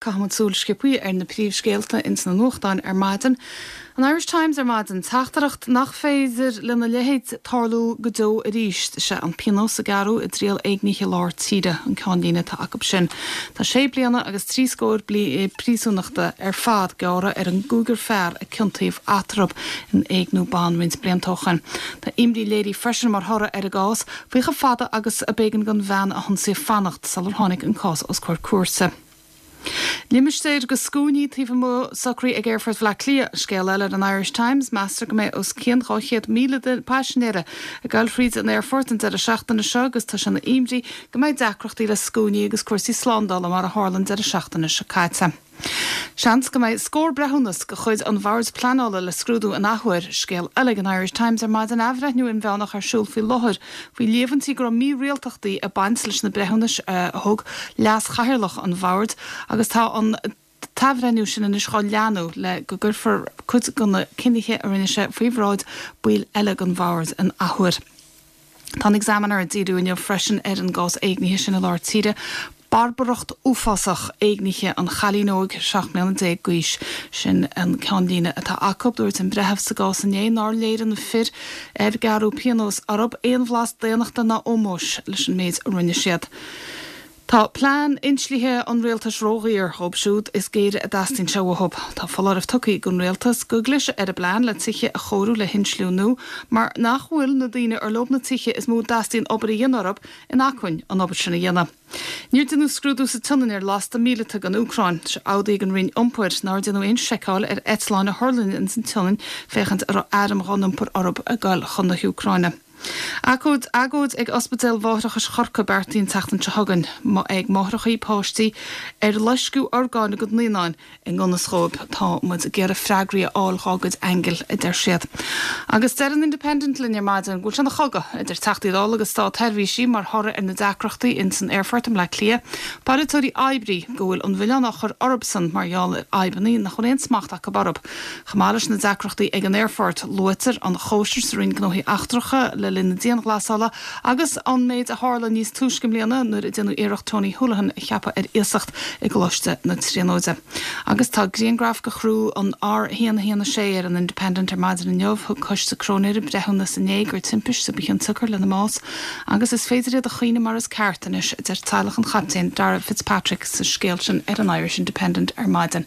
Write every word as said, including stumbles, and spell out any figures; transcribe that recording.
Caithfimid súil sciobtha ar na príomhscéalta ins na nuachtáin ar maidin. An Irish Times ar maidin teachtaireacht nach féidir lena leithéid tarlú go deo arís sé an pionós a gearradh i dtriail éignithe lár tíre an ceannlíne atá acu sin. Tá sé bliana agus trí scór bliain príosúnachta ar fad gearrtha ar an gcúigear fear a ciontaíodh eatarthu in éigniú ban roinnt blianta ó shin. Tá imní léirithe freisin mar thoradh ar an gcás faoi chomh fada agus a b'éigean don bhean a hionsaíodh fanacht sular tháinig an cás os comhair cúirte. Limistéir de scuainí taobh amuigh socraithe ag Aerfort Bhaile Átha Cliath scéal eile ar an Irish Times meastar go mbeidh os cionn dhá chéad míle paisinéir ag dul fríd an aerfort an deireadh seachtaine seo agus tá sé ina imní go mbeidh deacrachtaí le scuainí agus cúrsaí slándála mar a tharla an deireadh seachtaine seo caite. Seans go mbeidh scór breithiúnas de chuid an Bhoird Pleanála le scrúdú in athuair scéal eile ag an Irish Times ar maidin athbhreithniú inmheánach ar siúl faoi láthair faoi líomhaintí go raibh mírialtachtaí ag baint leis na breithiúnais a thug leas-chathaoirleach an bhoird agus tá an t-athbhreithniú sin anois á leanúint le go gcuirfear cuid de na cinntí a rinne sé faoi bhráid baill eile den bhord in athuair. Tá an Examiner ag díriú inniu freisin ar an gcás éignithe sin i lár tíre. Barbaracht uafásach éignithe an chailín óig seacht mbliana déag d'aois sin an ceannlíne atá acu dúirt an breitheamh sa gcás inné nár léirigh na fir ar gearradh pionós orthu aon bhlas daonnachta ná ómóis leis an méid a rinne siad. Tá plean inslithe an rialtais ródhaor dóibh siúd is géire a dteastaíonn sé uathu. Tá foláireamh tugtha ag an rialtas go gclisfidh ar a bplean le tithe a chóiriú le hinsliú nua, mar nach bhfuil na daoine ar leo na tithe is mó a dteastaíonn obair a dhéanamh orthu in acmhainn an obair sin a dhéanamh. Níor deineadh scrúdú sa tSionainn ar lasta míleata don Úcráin, sé amhlaidh an Roinn Iompair nár deineadh aon seiceáil ar eitleáin a thuirling ins an tSionainn féachaint an raibh airm á n-iompar orthu ag dul chun na hÚcráine. Agóid agóid ag Ospidéal Mháithreachais Chorcaí beartaithe an tseachtain seo chugainn ag máithreacha páistí ar loisceadh orgáin a gcuid naíonáin i ngan fhios dóibh tá muid ag iarraidh freagraí a fháil dá gcuid aingil a deir siad. Agus deir an Independent linn ar maidin go bhfuil sé ina chogadh idir Teachtaí Dála agus státseirbhísigh mar thoradh ar na deacrachtaí ins an aerfort i mBaile Átha Cliath, polaiteoirí oibrí go bhfuil an milleán á chur orthusan mar gheall ar fhadhbanna nach bhfuil aon smacht acu orthu. Chomh maith leis na deacrachtaí ag an aerfort luaitear an chóisir sa Roinn Gnóthaí Eachtracha le linn na dianghlasála agus an méid a tharla níos túisce i mbliana nuair a deineadh iarracht Tony Holohan a cheapadh ar iasacht i gColáiste na Tríonóide. Agus tá grianghraf de chriú an R haon haon a sé ar an Independent ar maidin inniu thug coiste cróinéara breithiúnas inné gur timpiste ba chionsiocair lena mbás, agus is féidir iad a chaoineadh mar is ceart anois a deir teaghlach an chaptaein Dara Fitzpatrick sa scéal sin ar an Irish Independent ar maidin.